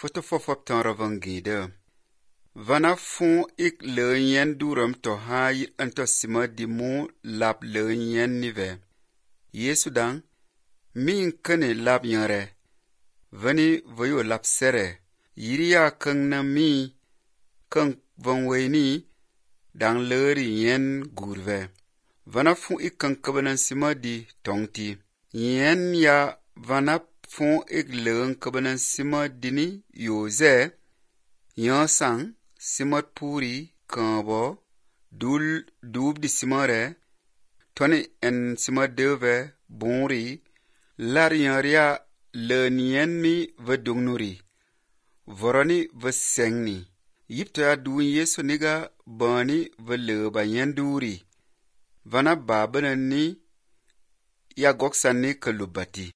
Foto fofop tan ravangide. Vana fon ik leunyen duram to hayi anto sima dimu lap leunyen nive. Yesu dang, min kene lap yanre. Vani vayo lap sere. Yiriya kang na mi kang vangweni dang leri yen gurve. Vana fon ik kang kabanan sima di tongti. Yen ya vana fon ik leung kabanan sima dini yoze. Yan sang simat puri kambo dub di simare. Tony en simat deve bonri. Lar yanria lenien mi vadungnuri. Vorani vasengni. Yipto ya duun Yesu niga bani valeba yenduri. Vana babana ni ya goksan ni kalubati.